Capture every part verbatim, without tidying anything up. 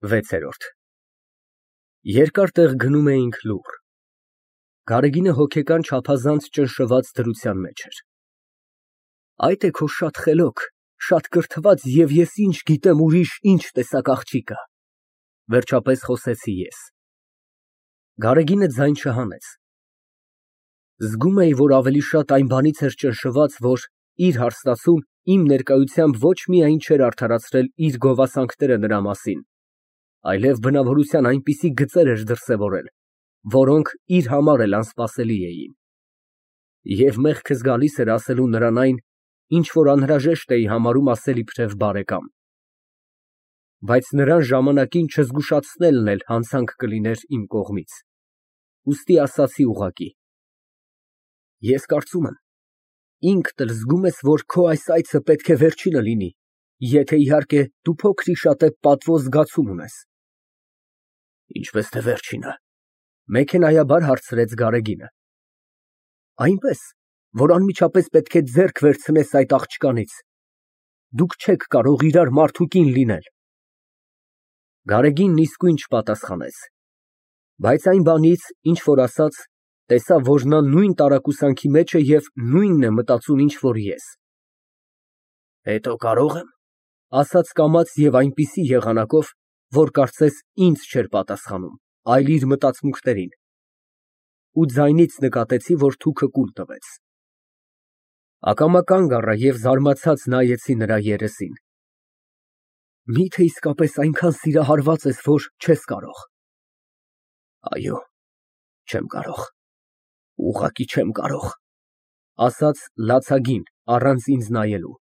վեցերորդ Երկար տեղ գնում էինք լուռ։ Գարեգինը հոգեկան չափազանց ճնշված դրության մեջ էր։ Այդ է քո շատ խելոք, շատ կրթված և ես ինչ գիտեմ ուրիշ ինչ տեսակ աղջի կա, վերջապես խոսեցի ես։ Գարեգինը ձայն չհանեց։ Զգում էի, որ ավելի շատ այն բանից էր ճնշված, որ իր հարստացում իմ ներկայությամբ ոչ միայն չէր արդարացրել իր գովասանքները նրա մասին, այլև բնավորության այնպիսի գծեր էր դրսևորել, որոնք իր համար էլ անսպասելի էին։ Եվ մեղքս գալիս էր ասելու նրան այն, ինչ որ անհրաժեշտ էի համարում ասել իբրև բարեկամ։ Բայց նրան ժամանակին չզգուշացնելն էլ հանցանք կլիներ իմ կողմից, ուստի ասացի ուղղակի. Ես կարծում եմ, ինքդ էլ զգում ես, որ քո այս այցը պետք է վերջինը լինի, եթե, իհարկե, դու փոքր-ի-շատե պատվո զգացում ունես։ Ինչպես թե վերջինը, մեքենայաբար հարցրեց Գարեգինը։ Այնպես, որ անմիջապես պետք է ձեռք վերցնես այդ աղջկանից, դուք չեք կարող իրար մարդ ու կին լինել։ Գարեգինն իսկույն չպատասխանեց, բայց այն բանից, ինչ որ ասաց, տեսա, որ նա նույն տարակուսանքի մեջ է և նույնն է մտածում, ինչ որ ես։ Հետո կարո՞ղ եմ, ասաց կամաց և այնպիսի եղանակով, որ կարծես ինձ չէր պատասխանում, այլ իր մտածմունքներին, ու ձայնից նկատեցի, որ թուքը կուլ տվեց։ Ակամա կանգ առա և զարմացած նայեցի նրա երեսին։ Մի՞թե իսկապես այնքան սիրահարված ես, որ չես կարող։ Այո, չեմ կարող, ուղղակի չեմ կարող, ասաց լացագին, առանց ինձ նայելու։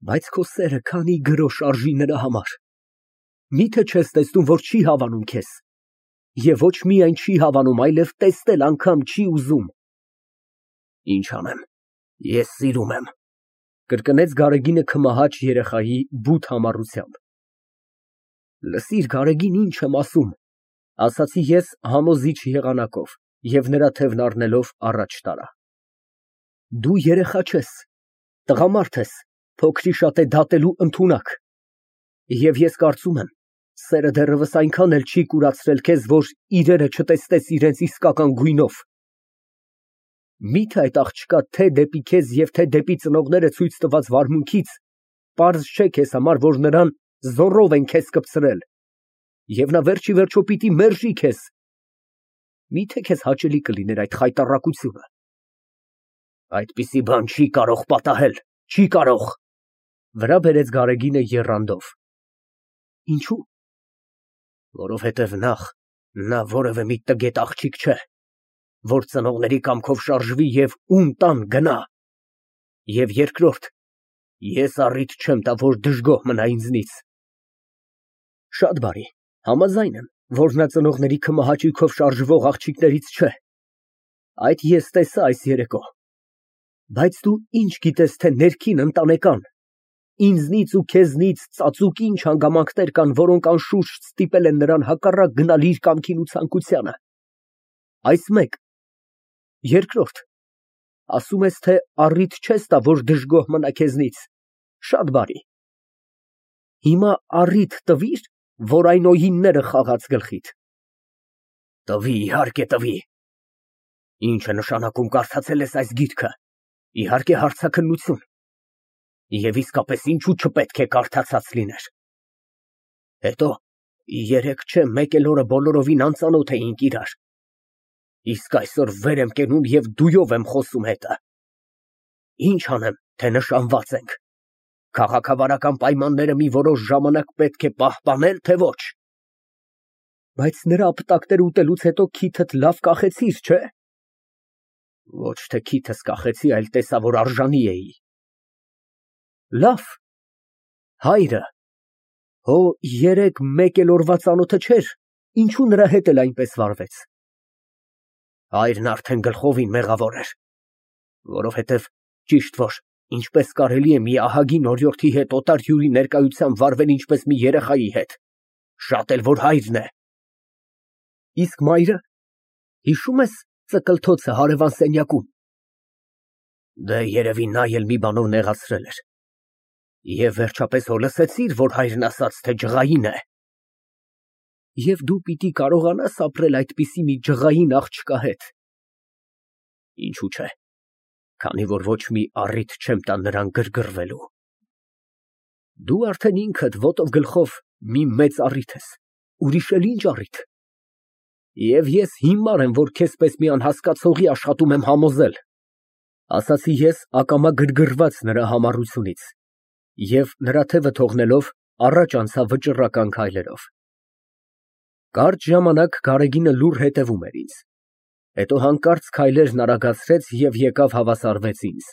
Բայց քո սերը քանի գրոշ արժի նրա համար։ Մի՞թե չես տեսնում, որ չի հավանում քեզ, և ոչ միայն չի հավանում, այլև տեսնել անգամ չի ուզում։ Ինչ անեմ, ես սիրում եմ, կրկնեց Գարեգինը քմահաճ երեխայի բութ համառությամբ։ Լսիր, Գարեգին, ինչ եմ ասում, ասացի ես համոզիչ եղանակով և նրա թևն առնելով առաջ տարա։ Դու երեխա չես, տղամարդ ես, փոքր-ի-շատե դատելու ընդունակ, և ես կարծում եմ, սերը դեռևս այնքան էլ չի կուրացրել քեզ, որ իրերը չտեսնես իրենց իսկական գույնով։ Մի՞թե այդ աղջկա թե դեպի քեզ և թե դեպի ծնողները ցույց տված վարմունքից պարզ չէ քեզ համար, որ նրան զոռով են քեզ կպցրել, և նա վերջիվերջո պիտի մերժի քեզ։ Մի՞թե քեզ հաճելի կլիներ այդ խայտառակությունը։ Այդպիսի բան չի կարող պատահել, չի կարող, վրա բերեց Գարեգինը եռանդով։ Ինչո՞ւ։ Որովհետև նախ, նա որևէ մի տգետ աղջիկ չէ, որ ծնողների կամքով շարժվի և ում տան գնա, և երկրորդ, ես առիթ չեմ տա, որ դժգոհ մնա ինձնից։ Շատ բարի, համաձայն եմ, որ նա ծնողների քմահաճույքով շարժվող աղջիկներից չէ, այդ ես տեսա այս երեկո, բայց դու ինչ գիտես, թե ներքին ընտանեկան, ինձնից ու քեզնից ծածուկ ինչ հանգամանքներ կան, որոնք անշուշտ ստիպել են նրան հակառակ գնալ իր կամքին ու ցանկությանը։ Այս մեկ։ Երկրորդ, ասում ես, թե առիթ չես տա, որ դժգոհ մնա քեզնից, շատ բարի։ Հիմա առիթ տվի՞ր, որ այն օինները խաղաց գլխիդ։ Տվի, իհարկե տվի։ Ինչ է նշանակում կարդացել ես այս գիրքը, իհարկե հարցաքննություն։ Եվ իսկապես ինչու չպետք է կարդացած լիներ։ Հետո, երեկ չէ մեկ էլ օրը բոլորովին անծանոթ էինք իրար, իսկ այսօր վեր եմ կենում և դույով եմ խոսում հետը։ Ինչ անեմ, թե նշանված ենք, քաղաքավարական պայմանները մի որոշ ժամանակ պետք է պահպանել, թե ոչ։ Բայց նրա ապտակները ուտելուց հետո քիթդ լավ կախեցիր, չէ։ Ոչ թե քիթս կախեցի, այլ տեսա, որ արժանի էի։ Լավ, հայրը, հո երեկ մեկ էլ օրվա ծանոթը չէր, ինչու նրա հետ էլ այնպես վարվեց։ Հայրն արդեն գլխովին մեղավոր էր, որովհետև ճիշտ որ, ինչպես կարելի է մի ահագին օրիորդի հետ օտար հյուրի ներկայությամբ վարվել ինչպես մի երեխայի հետ, շատ էլ որ հայրն է։ Իսկ մայրը, հիշո՞ւմ ես ծկլթոցը հարևան սենյակում։ Դե երևի նա էլ մի բանով նեղացրել էր։ Եվ վերջապես հո լսեցի՞ր, որ հայրն ասաց, թե ջղային է։ Եվ դու պիտի կարողանաս ապրել այդպիսի մի ջղային աղջկա հետ։ Ինչու՞ չէ, քանի որ ոչ մի առիթ չեմ տա նրան գրգռվելու։ Դու արդեն ինքդ ոտով գլխով մի մեծ առիթ ես, ուրիշ էլ ինչ առիթ։ Եվ ես հիմար եմ, որ քեզ պես մի անհասկացողի աշխատում եմ համոզել, ասացի ես ակամա գրգռված նրա համառությունից և նրա թևը թողնելով առաջ անցա վճռական քայլերով։ Կարճ ժամանակ Գարեգինը լուռ հետևում էր ինձ, հետո հանկարծ քայլերն արագացրեց և եկավ հավասարվեց ինձ։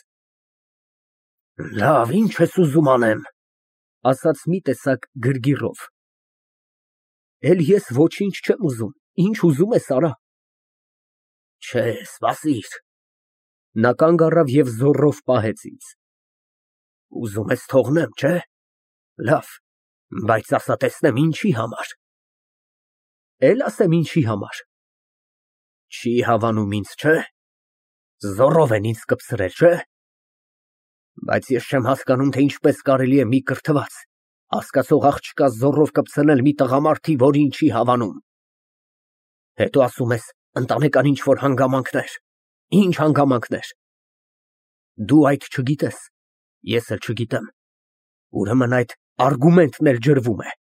Լավ, ինչ ես ուզում անեմ, ասաց մի տեսակ գրգիռով։ Էլ ես ոչինչ չեմ ուզում, ինչ ուզում ես արա։ Չէ, սպասիր։ Նա կանգ առավ և զոռով պահեց ինձ։ Ուզում ես թողնեմ, չէ։ Լավ, բայց ասա տեսնեմ ինչի համար։ Էլ ասեմ ինչի համար։ Չի հավանում ինձ, չէ։ Զոռով են ինձ կպցրել, չէ։ Բայց ես չեմ հասկանում, թե ինչպես կարելի է մի կրթված, հասկացող աղջկա զոռով կպցնել մի տղամարդի, որին չի հավանում։ Հետո ասում ես ընտանեկան ինչ-որ հանգամանքներ։ Ինչ հանգամանքներ։ Դու այդ չգիտես, ես էլ չգիտեմ։ Ուրեմն այդ արգումենտն էլ ջրվում է։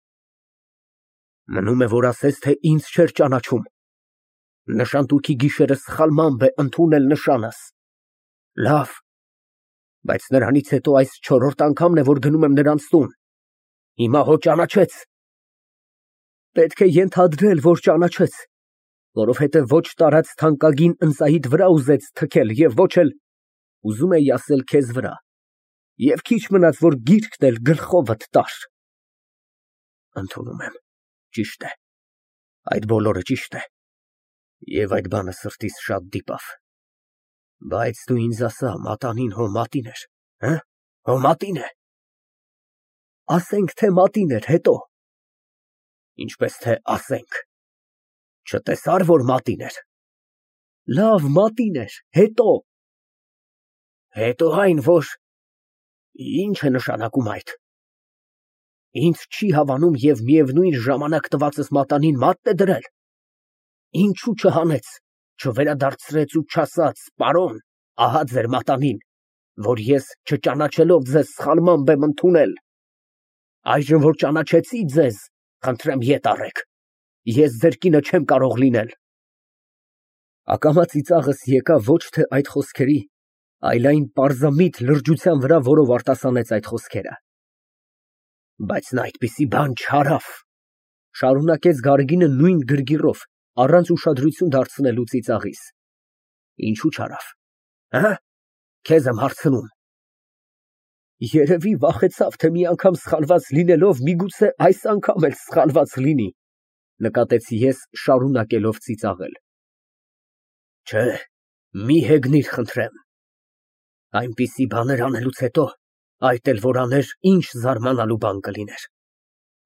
Մնում է, որ ասես, թե ինձ չէր ճանաչում։ Նշանտուքի գիշերը սխալմամբ է ընդունել նշանս։ Լավ, բայց նրանից հետո այս չորրորդ անգամն է, որ գնում եմ նրանց տուն։ Հիմա հո ճանաչեց։ Պետք է ենթադրել, որ ճանաչեց, որովհետև ոչ տարած թանկագին ընծայիդ վրա ուզեց թքել և ոչ էլ, ուզում էի ասել, քեզ վրա, և քիչ մնաց, որ գիրկն էլ գլխովդ տար։ Ընդունում եմ, ճիշտ է, այդ բոլորը ճիշտ է, և այդ բանը սրտիս շատ դիպավ, բայց դու ինձ ասա, մատանին հո մատին էր, հո մատին է։ Ասենք, թե մատին էր, հետո։ Ինչպես թե ասենք, չտեսար, որ մատին էր։ Լավ, մատին էր, հետո։ Հետո այն, որ ինչ է նշանակում այդ։ Ինձ չի հավանում և միևնույն ժամանակ տվածս մատանին մատն է դրել։ Ինչու չհանեց, չվերադարձրեց ու չասաց, պարոն, ահա ձեր մատանին, որ ես չճանաչելով ձեզ սխալմամբ եմ ընդունել։ Այժմ որ ճանաչեցի ձեզ, խնդրեմ ետ առեք, ես ձեր կինը չեմ կարող լինել։ Ակամա ծիծաղս եկավ ոչ թե այդ խոսքերի, այլ այն պարզամիտ լրջության վրա, որով արտասանեց այդ խոսքերը։ Բայց նա այդպիսի բան չարավ, շարունակեց Գարեգինը նույն գրգիռով, առանց ուշադրություն դարձնելու ծիծաղիս։ Ինչու չարավ, հը՞, քեզ եմ հարցնում։ Երևի վախեցավ, թե մի անգամ սխալված լինելով, միգուցե այս անգամ էլ սխալված լինի, նկատեցի ես, շարունակելով ծիծաղել։ Չէ, մի հեգնիր, խնդրեմ։ Այնպիսի բաներ անելուց հետո, այդ էլ որ աներ, ինչ զարմանալու բան կլիներ։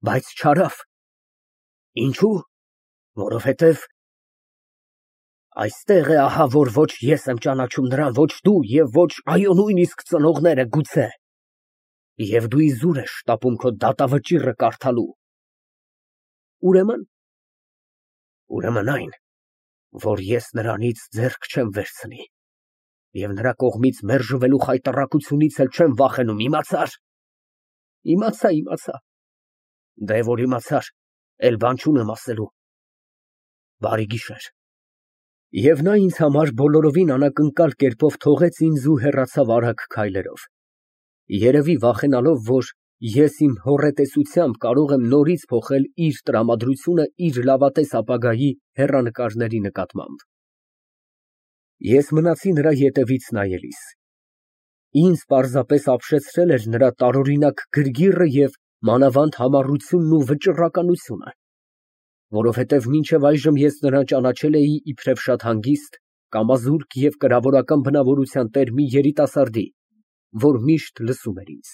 Բայց չարավ։ Ինչու՞։ Որովհետև այստեղ է ահա, որ ոչ ես եմ ճանաչում նրան, ոչ դու և ոչ այո նույնիսկ ծնողները գուցե։ Եվ դու իզուր ես շտապում քո դատավճիռը կարդալու։ Ուրեմն։ Ուրեմն այն, որ ես նրանից ձեռք չեմ վերցնի և նրա կողմից մերժվելու խայտառակությունից էլ չեմ վախենում, իմացա՞ր։ Իմացա, իմացա։ Դե որ իմացար, էլ բան չունեմ ասելու։ Բարի գիշեր։ Եվ նա ինձ համար բոլորովին անակնկալ կերպով թողեց ինձ ու հեռացավ արագ քայլերով։ Երևի վախենալով, որ ես իմ հոռետեսությամբ կարող եմ նորից փոխել իր տրամադրությունը իր լավատես ապագայի հեռանկարների նկատմամբ։ Ես մնացի նրա ետևից նայելիս։ Ինձ պարզապես ապշեցրել էր նրա տարօրինակ գրգիռը և մանավանդ համառությունն ու վճռականությունը, որովհետև մինչև այժմ ես նրան ճանաչել էի իբրև շատ հանգիստ, կամազուրկ և կրավորական բնավորության տեր մի երիտասարդի, որ միշտ լսում էր ինձ։